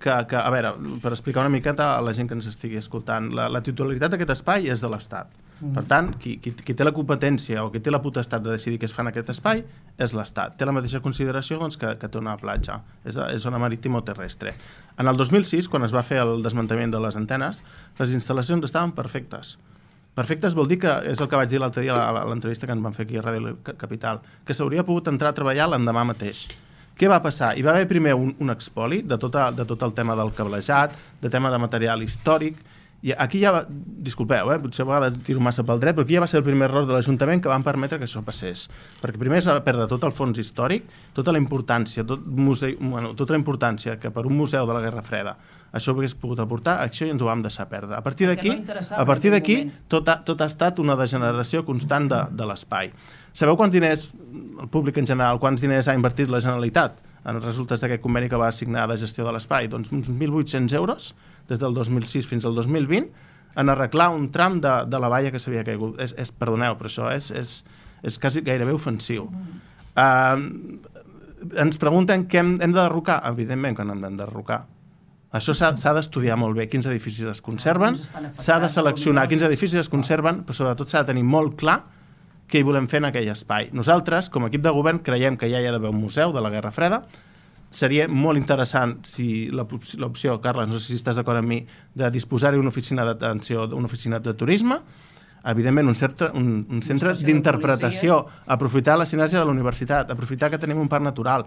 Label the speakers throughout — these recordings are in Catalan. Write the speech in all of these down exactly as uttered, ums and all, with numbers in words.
Speaker 1: que, que, a veure, per explicar una miqueta a la gent que ens estigui escoltant, la, la titularitat d'aquest espai és de l'Estat. Mm. Per tant, qui, qui, qui té la competència o qui té la potestat de decidir què es fa en aquest espai és l'Estat. Té la mateixa consideració doncs, que, que té una platja. És, és zona marítima o terrestre. En el dos mil sis, quan es va fer el desmantellament de les antenes, les instal·lacions estaven perfectes. Perfectes vol dir que, és el que vaig dir l'altre dia a l'entrevista que ens van fer aquí a Ràdio Capital, que s'hauria pogut entrar a treballar l'endemà mateix. Què va passar? Hi va haver primer un, un expoli de, tota, de tot el tema del cablejat, de tema de material històric, i aquí ja va, disculpeu, eh, potser a vegades tiro massa pel dret, però aquí ja va ser el primer error de l'Ajuntament que van permetre que això passés. Perquè primer es va perdre tot el fons històric, tota la importància, tot museu, bueno, tota la importància que per un museu de la Guerra Freda això hagués pogut aportar, això ja ens ho vam deixar perdre. A partir d'aquí, a partir d'aquí tot, ha, tot ha estat una degeneració constant de, de l'espai. Sabeu quants diners, el públic en general, quants diners ha invertit la Generalitat en els resultats d'aquest conveni que va assignar de gestió de l'espai? Doncs uns mil vuit-cents euros des del dos mil sis fins al dos mil vint en arreglar un tram de, de la valla que s'havia caigut. És, és, perdoneu, però això és, és, és quasi gairebé ofensiu. Uh, ens pregunten què hem, hem de derrocar? Evidentment que no hem d'enderrocar. Això s'ha d'estudiar molt bé, quins edificis es conserven, s'ha de seleccionar quins edificis es conserven, però sobretot s'ha de tenir molt clar què hi volem fer en aquell espai. Nosaltres, com a equip de govern, creiem que ja hi ha d'haver un museu de la Guerra Freda. Seria molt interessant, si l'opció, Carles, no sé si estàs d'acord amb mi, de disposar-hi una oficina d'atenció, una oficina de turisme, evidentment un, certa, un, un centre d'interpretació, aprofitar la sinergia de la universitat, aprofitar que tenim un parc natural.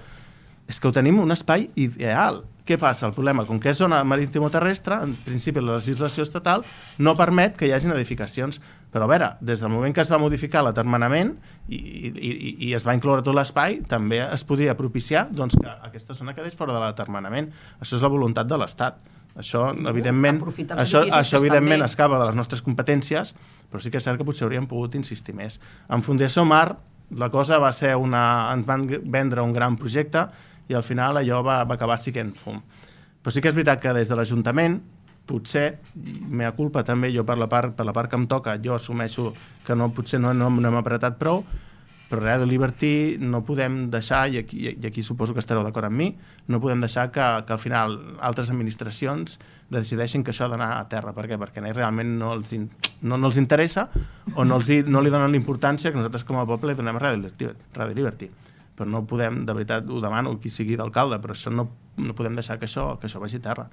Speaker 1: És que ho tenim un espai ideal. Què passa? El problema, com que és zona marítim-terrestre, en principi la legislació estatal no permet que hi hagin edificacions. Però a veure, des del moment que es va modificar l'atermenament i, i, i es va incloure tot l'espai, també es podria propiciar doncs, que aquesta zona quedés fora de l'atermenament. Això és la voluntat de l'Estat. Això, evidentment, això, això evidentment escapa de les nostres competències, però sí que és cert que potser hauríem pogut insistir més. En Fundació Mar, la cosa va ser una... ens van vendre un gran projecte i al final allò va, va acabar sent fum. Però sí que és veritat que des de l'Ajuntament, potser, mea culpa també, jo per la part, per la part que em toca, jo assumeixo que no, potser no, no, no hem apretat prou, però Ràdio Liberty no podem deixar, i aquí, i aquí suposo que estareu d'acord amb mi, no podem deixar que, que al final altres administracions decideixin que això ha d'anar a terra. Per què? Perquè realment no els, in, no, no els interessa o no, els, no li donen l'importància que nosaltres com a poble li donem a Ràdio Liberty. Ràdio Liberty. Però no podem, de veritat, ho demano qui sigui d'alcalde, però això no, no podem deixar que això, que això vagi a terra.